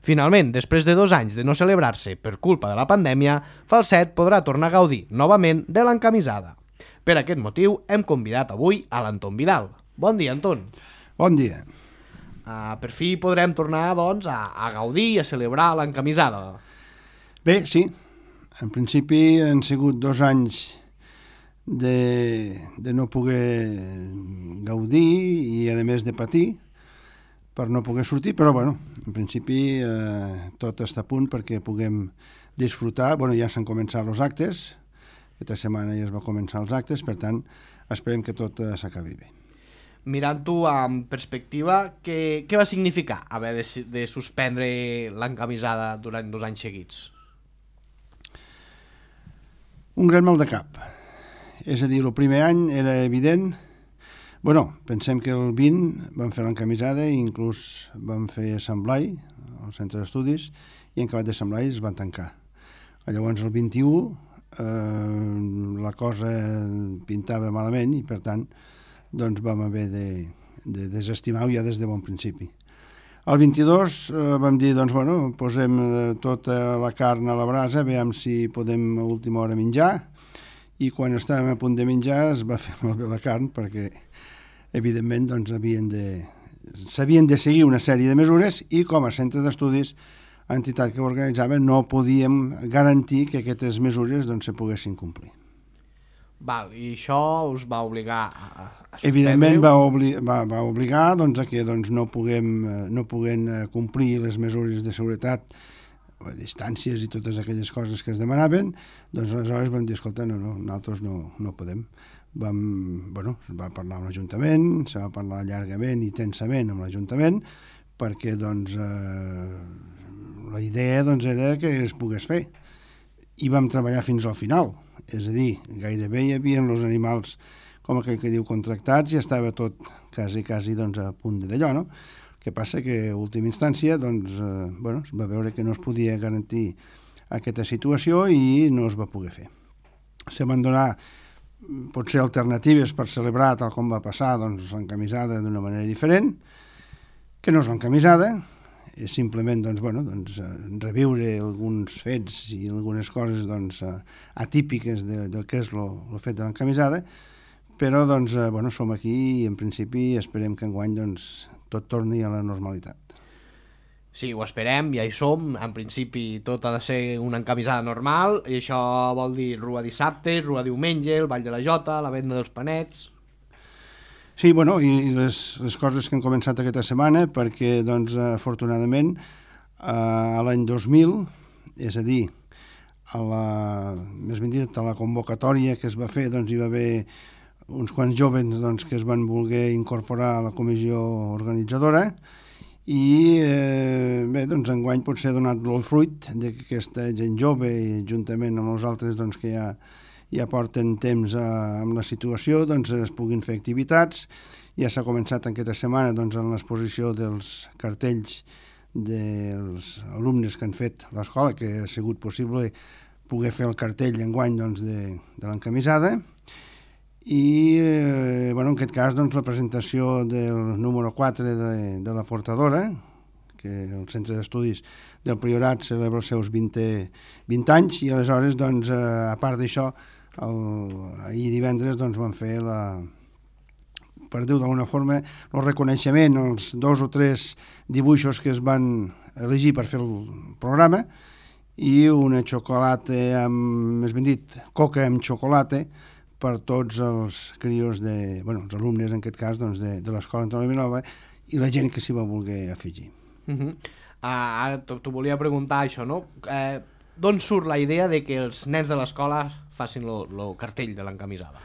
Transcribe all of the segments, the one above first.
Finalment, després de 2 anys de no celebrar-se per culpa de la pandèmia, Falset podrà tornar a gaudir novament de l'encamisada. Per aquest motiu hem convidat avui a l'Anton Vidal. Bon dia, Anton. Bon dia. Per fi podrem tornar, doncs, a gaudir i a celebrar l'encamisada. Bé, sí. En principi han sigut 2 anys de no poder gaudir i, a més, de patir per no poder sortir, però, bueno, en principi tot està a punt perquè puguem disfrutar. Bueno, ja s'han començat els actes, aquesta setmana ja es va començar els actes, per tant, esperem que tot s'acabi bé. Mirant-ho amb perspectiva, què va significar haver de suspendre l'encamisada durant 2 anys seguits? Un gran mal de cap. És a dir, el primer any era evident. Bueno, pensem que el 20 vam fer l'encamisada i inclús vam fer Assemblai, al centre d'estudis, i en acabat d'Assemblai es van tancar. Llavors el 21 la cosa pintava malament i per tant doncs vam haver de desestimar-ho ja des de bon principi. El 22 vam dir, doncs bueno, posem tota la carn a la brasa, veiem si podem a última hora menjar, i quan estàvem a punt de menjar es va fer molt bé la carn perquè evidentment doncs s'havien de seguir una sèrie de mesures i com a centre d'estudis, entitat que ho organitzava, no podíem garantir que aquestes mesures doncs se poguessin complir. Val, i això us va obligar a suspendre? Evidentment va obligar doncs, a que doncs, no puguem complir les mesures de seguretat, distàncies i totes aquelles coses que es demanaven, doncs aleshores vam dir, escolta, nosaltres no podem. Es va parlar amb l'Ajuntament, se va parlar llargament i tensament amb l'Ajuntament, perquè doncs, la idea doncs, era que es pogués fer. I vam treballar fins al final, és a dir, gairebé hi havia els animals, com aquell que diu, contractats, i estava tot quasi doncs, a punt d'allò, no? El que passa que, a última instància, doncs, es va veure que no es podia garantir aquesta situació i no es va poder fer. Se van donar potser alternatives per celebrar, tal com va passar, doncs, l'encamisada d'una manera diferent, que no és l'encamisada, és simplement reviure alguns fets i algunes coses atípiques del que és el fet de l'encamisada, però som aquí i en principi esperem que enguany tot torni a la normalitat. Sí, ho esperem, ja hi som. En principi tot ha de ser una encamisada normal i això vol dir rua dissabte, rua diumenge, el ball de la jota, la venda dels panets... Sí, i les coses que han començat aquesta setmana, perquè, afortunadament, a l'any 2000, és a dir, més ben dit, a la convocatòria que es va fer, hi va haver uns quants joves que es van voler incorporar a la comissió organitzadora i, enguany potser ha donat el fruit que aquesta gent jove, juntament amb els altres que ja porten temps amb la situació, es puguin fer activitats. Ja s'ha començat aquesta setmana en l'exposició dels cartells dels alumnes que han fet l'escola, que ha sigut possible poder fer el cartell enguany de l'encamisada. I, en aquest cas, la presentació del número 4 de la Fortadora, que el centre d'estudis del Priorat celebra els seus 20 anys, i aleshores, a part d'això, ahir divendres van fer per dir-ho d'alguna forma, el reconeixement, els 2 o 3 dibuixos que es van elegir per fer el programa i una xocolata, més ben dit, coca amb xocolata per tots els crios els alumnes, en aquest cas, de l'Escola Antoni Vilanova i la gent que s'hi va voler afegir. Ara t'ho volia preguntar, això, no? D'on surt la idea de que els nens de l'escola facin el cartell de l'encamisada?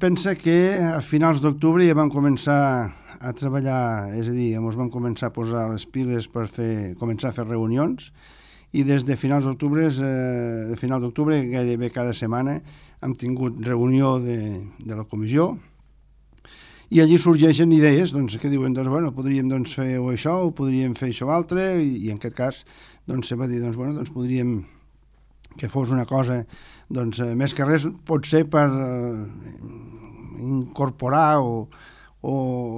Pensa que a finals d'octubre ja vam començar a treballar, és a dir, ens vam començar a posar les piles per començar a fer reunions i des de finals d'octubre, gairebé cada setmana, hem tingut reunió de la comissió i allí sorgeixen idees que diuen, podríem fer això o podríem fer això altre, i en aquest cas se va dir, podríem que fos una cosa, més que res, potser per incorporar o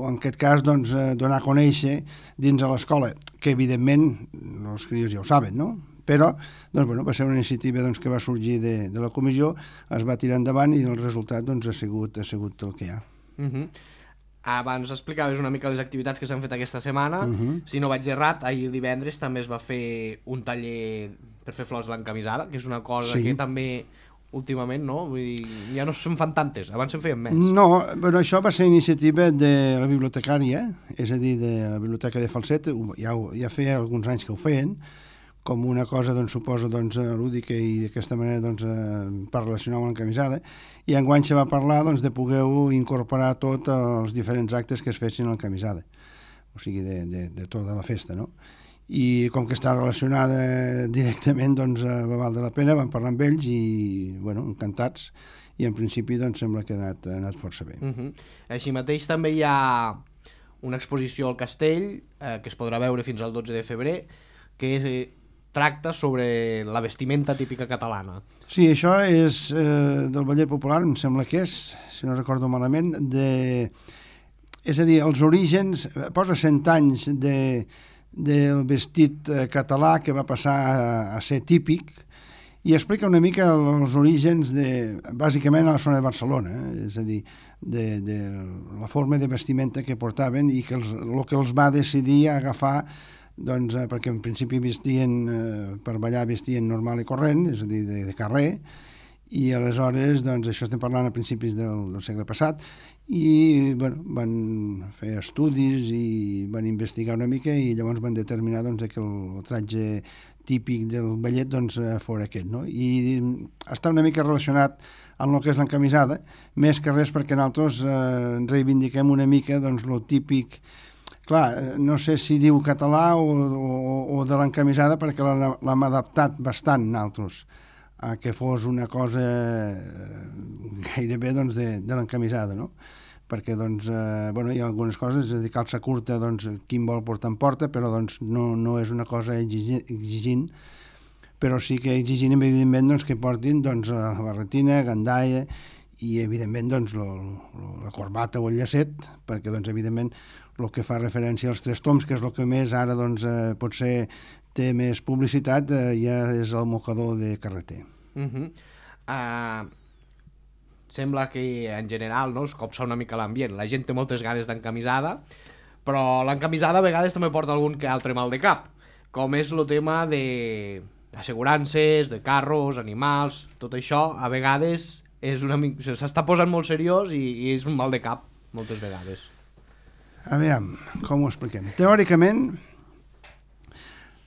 en aquest cas, donar a conèixer dins de l'escola. que evidentment els crios ja ho saben, no? Però doncs, bueno, va ser una iniciativa doncs, que va sorgir de la comissió, es va tirar endavant i el resultat doncs, ha sigut el que hi ha. Abans explicaves una mica les activitats que s'han fet aquesta setmana. Si no vaig errat, ahir divendres també es va fer un taller per fer flors de l'encamisada, que és una cosa que també últimament, no? Vull dir, ja no se'n fan tantes, abans se'n feien més. No, però això va ser iniciativa de la bibliotecària, és a dir, de la biblioteca de Falset, ja feia alguns anys que ho feien, com una cosa, doncs, suposo, doncs, lúdica i d'aquesta manera doncs, per relacionar amb l'encamisada, i enguany se va parlar doncs, de poder incorporar tots els diferents actes que es fessin a l'encamisada, o sigui, de tota la festa, no? I com que està relacionada directament, doncs va valdre la pena, vam parlar amb ells i, bueno, encantats, i en principi doncs sembla que ha anat força bé. Així mateix també hi ha una exposició al Castell, que es podrà veure fins al 12 de febrer, que tracta sobre la vestimenta típica catalana. Sí, això és del ballet popular, em sembla que és, si no recordo malament, és a dir, els orígens, posa 100 anys del vestit català que va passar a ser típic i explica una mica els orígens bàsicament a la zona de Barcelona, és a dir, de la forma de vestimenta que portaven i que el que els va decidir agafar, doncs, perquè en principi per ballar vestien normal i corrent, és a dir, de carrer, i aleshores, doncs, això estem parlant a principis del segle passat, i bueno, van fer estudis i van investigar una mica i llavors van determinar doncs, que el tratge típic del ballet doncs, fos aquest, no? I està una mica relacionat amb el que és l'encamisada, més que res perquè nosaltres reivindiquem una mica doncs, lo típic. Clar, no sé si diu català o de l'encamisada perquè l'hem adaptat bastant nosaltres a que fos una cosa gairebé doncs, de l'encamisada, no? Perquè doncs, bueno, hi ha algunes coses, és a dir, calça curta, doncs, qui en vol portar en porta, però doncs, no és una cosa exigint, però sí que exigint, evidentment, doncs, que portin doncs, la barretina, gandaia i, evidentment, doncs, la corbata o el llacet, perquè, doncs, evidentment, el que fa referència als 3 toms, que és el que més ara, doncs, potser té més publicitat, ja és el mocador de carreter. Sembla que en general, no, es copsa una mica l'ambient, la gent té moltes ganes d'encamisada, però l'encamisada a vegades també porta algun que altre mal de cap, com és el tema d'assegurances, de carros, animals, tot això a vegades s'està posant molt seriós i és un mal de cap moltes vegades. A veure, com ho expliquem? Teòricament,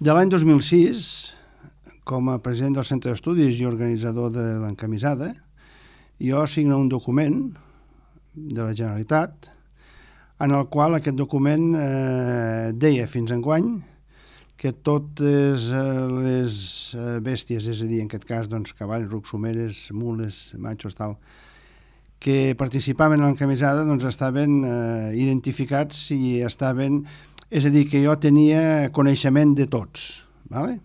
de l'any 2006, com a president del Centre d'Estudis i organitzador de l'encamisada, jo signo un document de la Generalitat en el qual aquest document deia fins enguany que totes les bèsties, és a dir, en aquest cas doncs, cavalls, rucs, someres, mules, machos, tal, que participaven en l'encamisada doncs, estaven identificats i estaven... És a dir, que jo tenia coneixement de tots. Vale?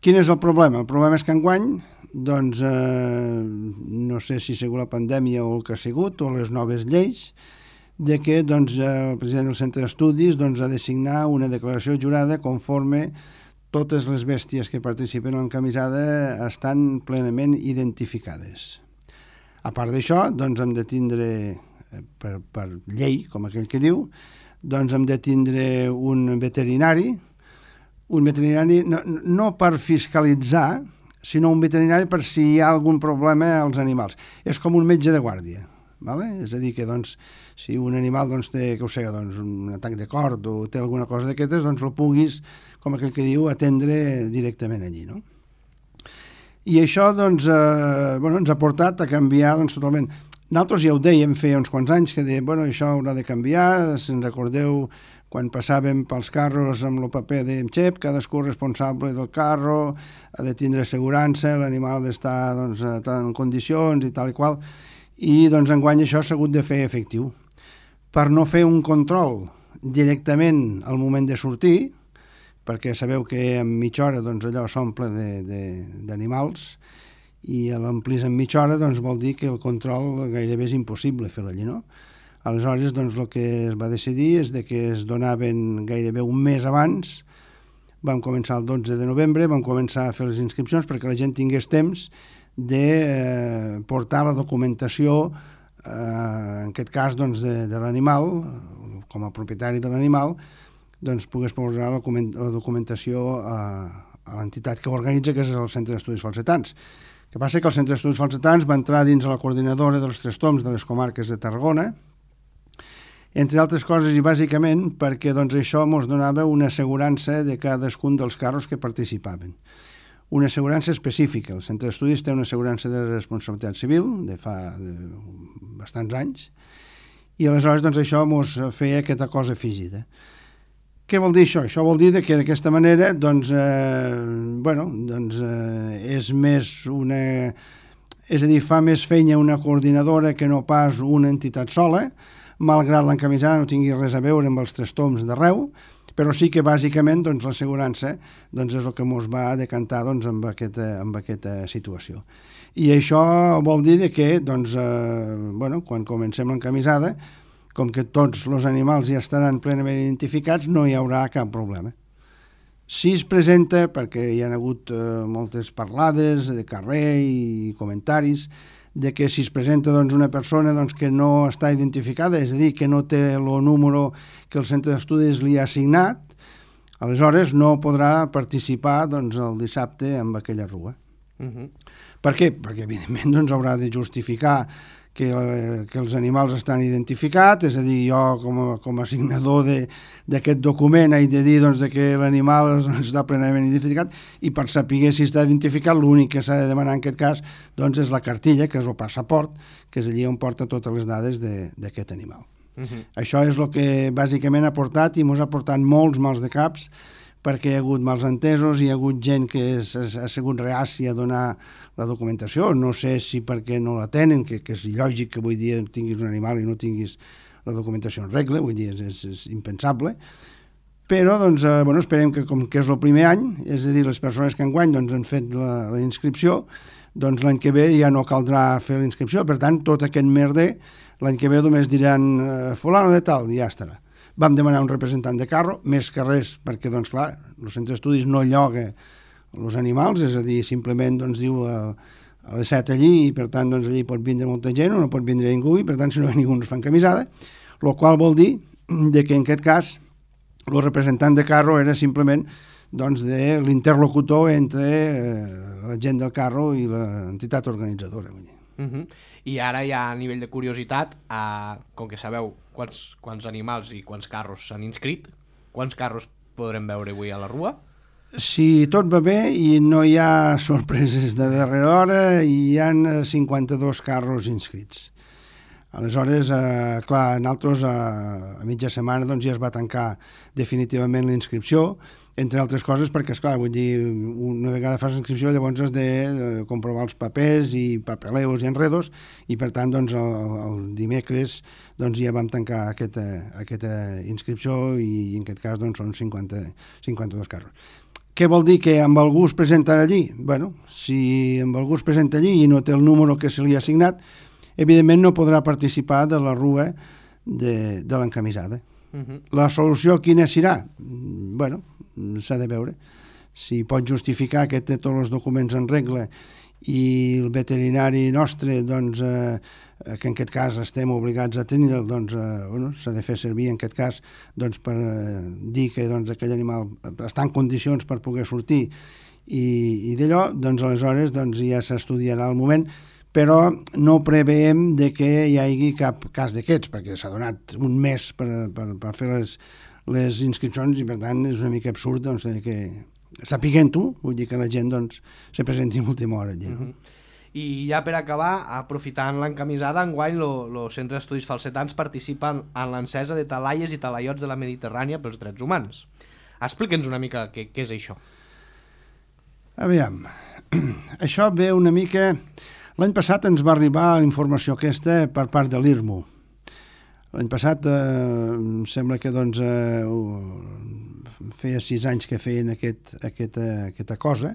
Quin és el problema? El problema és que enguany doncs, no sé si segur la pandèmia o el que ha sigut, o les noves lleis, de que doncs, el president del Centre d'Estudis doncs, ha de signar una declaració jurada conforme totes les bèsties que participen en l'encamisada estan plenament identificades. A part d'això, doncs, hem de tindre, per llei, com aquell que diu, doncs hem de tindre un veterinari no per fiscalitzar, sinó un veterinari per si hi ha algun problema als animals. És com un metge de guàrdia. ¿Vale? És a dir, que doncs, si un animal doncs, té que ho sé, doncs, un atac de cord o té alguna cosa d'aquestes, doncs el puguis, com aquell que diu, atendre directament allí. No? I això doncs, bueno, ens ha portat a canviar doncs, totalment. Nosaltres ja ho dèiem feia uns quants anys, que dèiem, bueno, això haurà de canviar, si ens recordeu quan passàvem pels carros amb el paper d'Emxep, cadascú responsable del carro, ha de tindre assegurança, l'animal ha d'estar doncs, en condicions i tal i qual, i doncs enguany això s'ha hagut de fer efectiu. Per no fer un control directament al moment de sortir, perquè sabeu que en mitja hora doncs, allò s'omple d'animals, i a l'omplir en mitja hora doncs, vol dir que el control gairebé és impossible fer-lo allí, no? Aleshores, doncs, el que es va decidir és que es donaven gairebé un mes abans. Vam començar el 12 de novembre, vam començar a fer les inscripcions perquè la gent tingués temps de portar la documentació, en aquest cas doncs, de l'animal, com a propietari de l'animal, doncs pogués posar la documentació a l'entitat que organitza, que és el Centre d'Estudis Falsetans. El que passa que el Centre d'Estudis Falsetans va entrar dins la coordinadora dels Tres Toms de les comarques de Tarragona, entre altres coses i bàsicament perquè doncs, això ens donava una assegurança de cadascun dels carros que participaven. Una assegurança específica. El Centre d'Estudis té una assegurança de responsabilitat civil de fa bastants anys i aleshores doncs, això ens feia aquesta cosa afegida. Què vol dir això? Això vol dir que d'aquesta manera doncs, és més una... És a dir, fa més feina una coordinadora que no pas una entitat sola, malgrat l'encamisada no tingui res a veure amb els Tres Toms d'arreu, però sí que bàsicament doncs, l'assegurança doncs, és el que ens va decantar doncs, amb aquesta situació. I això vol dir que doncs, quan comencem l'encamisada, com que tots els animals ja estaran plenament identificats, no hi haurà cap problema. Si es presenta, perquè hi ha hagut moltes parlades de carrer i comentaris, de que si es presenta doncs, una persona doncs, que no està identificada, és a dir, que no té el número que el Centre d'Estudis li ha assignat, aleshores no podrà participar doncs, el dissabte amb aquella rua. Per què? Perquè, evidentment, doncs, haurà de justificar que els animals estan identificats, és a dir, jo com a signador d'aquest document he de dir doncs, que l'animal està plenament identificat i per saber si està identificat l'únic que s'ha de demanar en aquest cas doncs, és la cartilla, que és el passaport, que és allí on porta totes les dades d'aquest animal. Això és el que bàsicament ha portat i ens ha portat molts mals de caps perquè hi ha hagut mals entesos, hi ha hagut gent que ha sigut reàcia a donar la documentació, no sé si perquè no la tenen, que és lògic que avui dia tinguis un animal i no tinguis la documentació en regla, vull dir, és impensable, però doncs, esperem que com que és el primer any, és a dir, les persones que enguany doncs, han fet la inscripció, doncs l'any que ve ja no caldrà fer la inscripció, per tant, tot aquest merder, l'any que ve només diran fulano de tal, i ja estarà. Vam demanar un representant de carro, més que res, perquè, doncs, clar, el Centre d'Estudis no lloga els animals, és a dir, simplement doncs, diu a les 7 allí, i per tant, doncs, allí pot vindre molta gent o no pot vindre ningú, i per tant, si no hi ha ningú no es fa encamisada, el qual vol dir que en aquest cas el representant de carro era simplement doncs, de l'interlocutor entre la gent del carro i l'entitat organitzadora. Vull dir. I ara ja a nivell de curiositat, com que sabeu quants animals i quants carros s'han inscrit, quants carros podrem veure avui a la rua? Si tot va bé i no hi ha sorpreses de darrera hora, hi ha 52 carros inscrits. Aleshores, clar, nosaltres a mitja setmana doncs, ja es va tancar definitivament la inscripció, entre altres coses perquè, esclar, vull dir, una vegada fas inscripció llavors has de comprovar els papers i papeleos i enredos i per tant doncs, el dimecres doncs, ja vam tancar aquesta inscripció i en aquest cas doncs, són 52 carros. Què vol dir? Que amb algú es presenta allí? Bueno, si amb algú es presenta allí i no té el número que se li ha assignat, evidentment no podrà participar de la rua de l'encamisada. La solució quina serà? Bueno, s'ha de veure. Si pot justificar que té tots els documents en regla i el veterinari nostre, doncs, que en aquest cas estem obligats a tenir, doncs, s'ha de fer servir en aquest cas doncs, per dir que doncs, aquell animal està en condicions per poder sortir i d'allò, doncs aleshores doncs, ja s'estudiarà el moment, però no preveiem de que hi hagi cap cas d'aquests, perquè s'ha donat un mes per fer les inscripcions i per tant és una mica absurd doncs, que sapiguent-ho, vull dir que la gent doncs, se presenti en última hora allí. No? I ja per acabar, aprofitant l'encamisada, enguany el Centre d'Estudis Falsetans participa en l'encesa de talaies i talaiots de la Mediterrània pels drets humans. Explica'ns una mica què és això. Aviam, això ve una mica... L'any passat ens va arribar la informació aquesta per part de l'IRMU. L'any passat em sembla que doncs, feia 6 anys que feien aquesta cosa.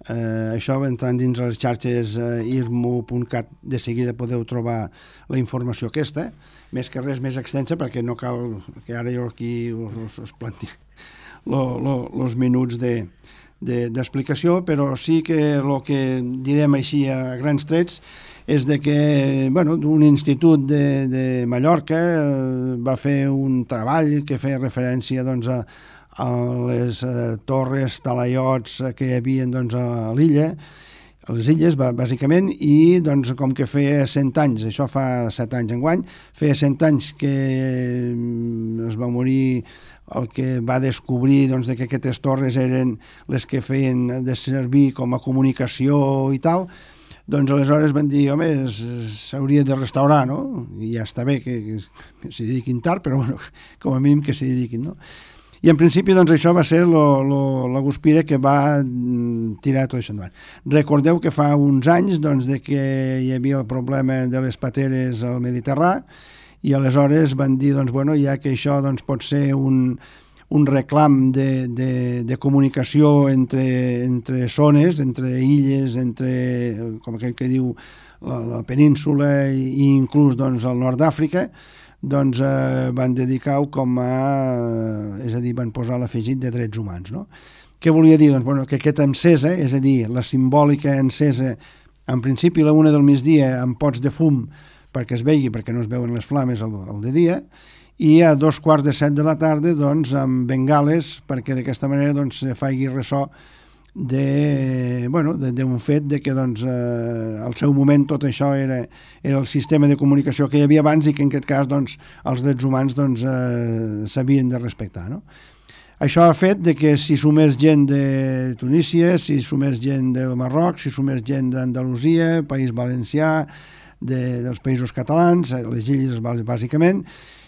Això, entrant dins les xarxes irmo.cat, de seguida podeu trobar la informació aquesta, més que res més extensa, perquè no cal que ara jo aquí us planti els minuts d'explicació, però sí que el que direm així a grans trets és de que un institut de Mallorca va fer un treball que feia referència a les torres, talaiots que hi havia a l'illa, a les illes, bàsicament, i com que feia 100 anys, això fa 7 anys enguany, feia 100 anys que es va morir el que va descobrir que aquestes torres eren les que feien de servir com a comunicació i tal, aleshores van dir, home, s'hauria de restaurar, no? I ja està bé que s'hi dediquin tard, però com a mínim que s'hi dediquin, no? I en principi això va ser la guspira que va tirar tot això endavant. Recordeu que fa uns anys de que hi havia el problema de les pateres al Mediterrani i aleshores van dir, ja que això pot ser un reclam de comunicació entre zones, entre illes, entre, com aquell que diu, la península i inclús el nord d'Àfrica, van dedicar-ho com a... és a dir, van posar l'afegit de drets humans, no? Què volia dir? Que aquesta encesa, és a dir, la simbòlica encesa, en principi a la 1 del migdia amb pots de fum perquè es vegi, perquè no es veuen les flames al de dia, i a 2:45 de la tarda amb bengales perquè d'aquesta manera se faci ressò d'un fet de que al seu moment tot això era el sistema de comunicació que hi havia abans i que en aquest cas els drets humans s'havien de respectar, no? Això ha fet de que si sumés gent de Tunísia, si sumés gent del Marroc, si sumés gent d'Andalusia, País Valencià, dels països catalans, les illes bàsicament,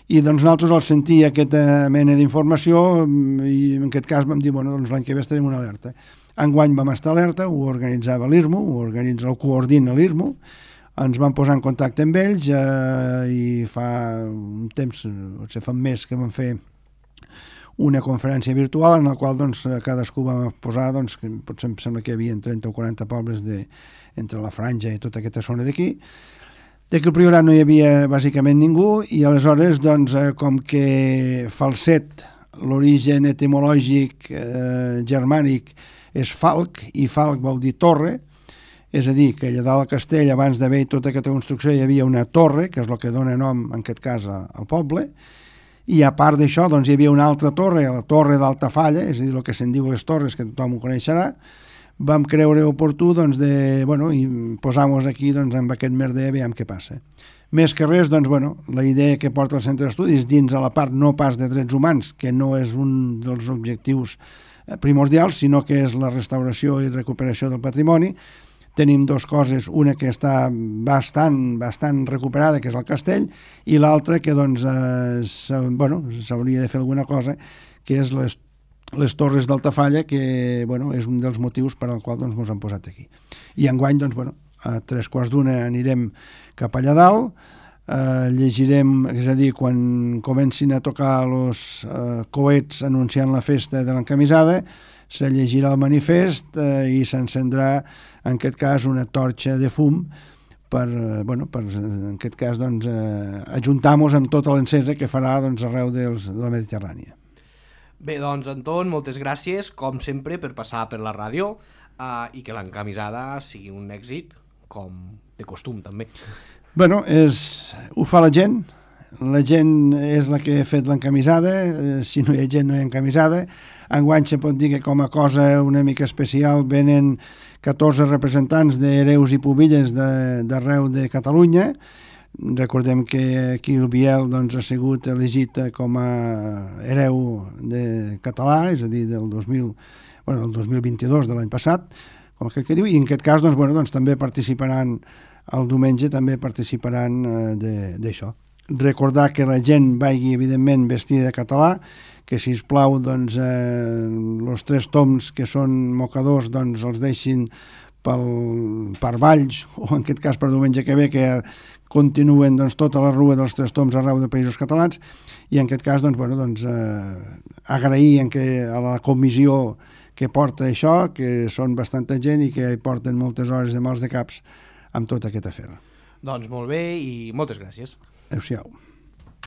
i nosaltres al sentir aquesta mena d'informació i en aquest cas vam dir, l'any que ve estarem una alerta. Enguany vam estar alerta, ho organitzava l'IRMO, ho coordina l'IRMO, ens vam posar en contacte amb ells i fa un temps, potser fa un mes que vam fer una conferència virtual en la qual cadascú va posar, que potser em sembla que hi havia 30 o 40 pobles entre la Franja i tota aquesta zona d'aquí, que al Priorat no hi havia bàsicament ningú i aleshores com que Falset, l'origen etimològic germànic és falc, i falc vol dir torre, és a dir, que allà dalt al castell, abans d'haver tota aquesta construcció, hi havia una torre, que és el que dona nom, en aquest cas, al poble, i a part d'això, hi havia una altra torre, la torre d'Altafalla, és a dir, el que se'n diu les torres, que tothom ho coneixerà. Vam creure oportú, i posar-nos aquí, amb aquest merder, veiem què passa. Més que res, la idea que porta el centre d'estudis dins a la part no pas de drets humans, que no és un dels objectius primordials, sinó que és la restauració i recuperació del patrimoni. Tenim dues coses, una que està bastant recuperada, que és el castell, i l'altra que s'hauria de fer alguna cosa, que és les torres d'Altafalla, que és un dels motius per al qual ens hem posat aquí. I enguany, a 3:15 anirem cap allà dalt, llegirem, és a dir, quan comencin a tocar els coets anunciant la festa de l'encamisada, se llegirà el manifest i s'encendrà, en aquest cas, una torxa de fum per en aquest cas, ajuntar-nos amb tota l'encesa que farà arreu de la Mediterrània. Bé, Anton, moltes gràcies, com sempre, per passar per la ràdio i que l'encamisada sigui un èxit, com de costum, també. Ho fa la gent és la que ha fet l'encamisada, si no hi ha gent no hi ha encamisada. Enguany se pot dir que com a cosa una mica especial venen 14 representants d'hereus i pubilles d'arreu de Catalunya. Recordem que aquí el Biel ha sigut elegit com a hereu català, és a dir, del 2022, de l'any passat, com aquell que diu, i en aquest cas també participaran el diumenge, també participaran d'això. Recordar que la gent vagi, evidentment, vestida de català, que, sisplau, els 3 toms que són mocadors els deixin per Valls, o en aquest cas per diumenge que ve, que continuen tota la rua dels 3 toms arreu de països catalans, i en aquest cas agrair a la comissió que porta això, que són bastanta gent i que hi porten moltes hores de mals de caps amb tot aquest afer. Doncs molt bé i moltes gràcies. Adéu-siau.